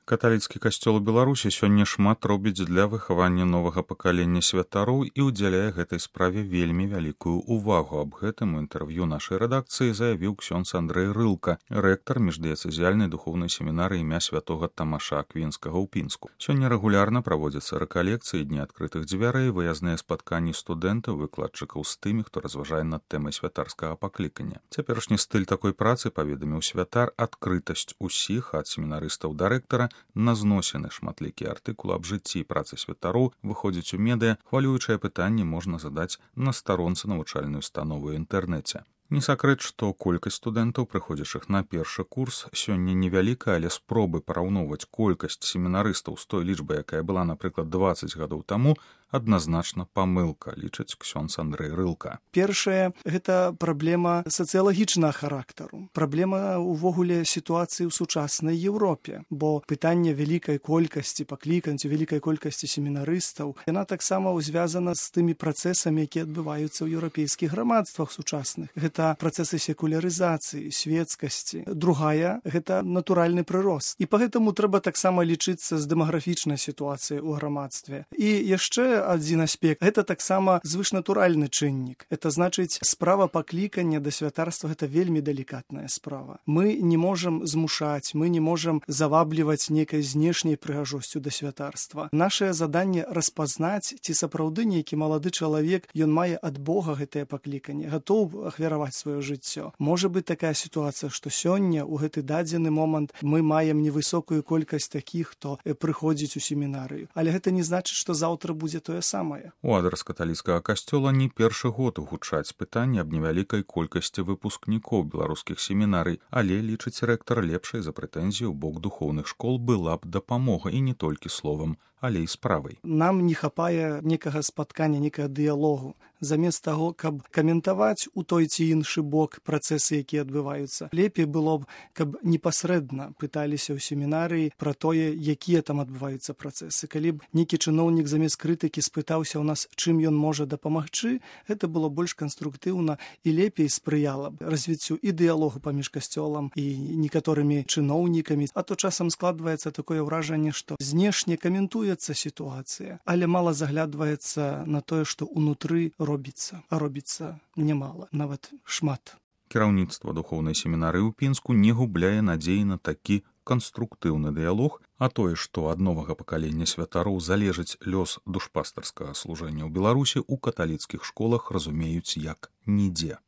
Каталіцкі касцёл у Беларусі сёння шмат робіць для выхавання новага пакалення святароў і ўдзяляе гэтай справе вельмі вялікую ўвагу. Аб гэтым у інтэрв'ю нашай рэдакцыі заявіў ксёндз Андрэй Рылка, рэктар міждыяцэзіяльнай духоўнай семінары імя святога Тамаша Аквінскага ў Пінску. Сёння рэгулярна праводзяцца рэкалекцыі, дні адкрытых дзвярэй, выязныя спатканні студэнтаў, выкладчыкаў з тымі, хто разважае над тэмай святарскага паклікання. Цяперашні стыль такой працы, паведаміў святар, адкрытасць усіх ад семінарыстаў да рэктара, на зносіны шматлікія артыкулы аб жыцці і працы святароў выходзіць у медыа, хвалюючае пытанне можна задаць на старонцы навучальнай установы ў інтэрнэце. Не сакрэт, што колькасць студэнтаў, прыходзячых на першы курс, сёння невялікая, але спробы параўноўваць колькасць семінарыстаў з той лічбай, якая была, напрыклад, 20 гадоў таму, адназначна памылка, лічыць ксёндз Андрэй Рылка. Першае, гэта праблема сацыялагічнага характару. Праблема ўвогуле сітуацыі ў сучаснай Еўропе, бо пытанне вялікай колькасці пакліканцяў, вялікай колькасці семінарыстаў, яна таксама звязана з тымі працэсамі, якія адбываюцца ў еўрапейскіх грамадствах сучасных. Гэта працэсы секулярызацыі, светскасці. Другая, гэта натуральны прырост. І па гэтаму трэба таксама лічыцца з дэмаграфічнай сітуацыяй у грамадстве. І яшчэ адзін аспект, гэта таксама звышнатуральны чыннік. Это значыць, справа паклікання да святарства гэта вельмі далікатная справа. Мы не можам змушаць, мы не можам завабліваць нейкай знешняй прыгажосцю да святарства. Нашае заданне распазнаць, ці сапраўды нейкі малады чалавек, ён мае ад Бога гэтае пакліканне, гатоў ахвяраваць сваё жыццё. Можа быць такая сітуацыя, што сёння ў гэты дадзены момант мы маем невысокую колькасць такіх, хто прыходзіць у семінарыю. Але гэта не значыць, што заўтра будзе тое самае. У адрас каталіцкага касцёла не першы год гучаць пытанні аб невялікай колькасці выпускнікоў беларускіх семінарый, але, лічыць рэктар, лепшай за прэтэнзію ў бок духоўных школ была б дапамога, і не толькі словам, але і справай. Нам не хапае некага спаткання, некага дыялогу. Замест таго, каб каментаваць у той ці іншы бок працэсы, якія адбываюцца, лепей было б, каб непасрэдна пыталіся ў семінарыі пра тое, якія там адбываюцца працэсы. Калі б нейкі чыноўнік замест крытыкі спытаўся ў нас, чым ён можа дапамагчы, гэта было больш канструктыўна і лепей спрыяла б развіццю і дыялогу паміж касцёлам і некаторымі чыноўнікамі. А то часам складваецца такое ўражанне, што знешне каментуецца сітуацыя, але мала заглядваецца на тое, што ўнутры робіцца, а робіцца нямала, нават шмат. Кіраўніцтва духоўнай семінарыі ў Пінску не губляе надзеі на такі канструктыўны дыялог, а тое, што ад новага пакалення святароў залежыць лёс душпастарскага служэння ў Беларусі, у каталіцкіх школах разумеюць як нідзе.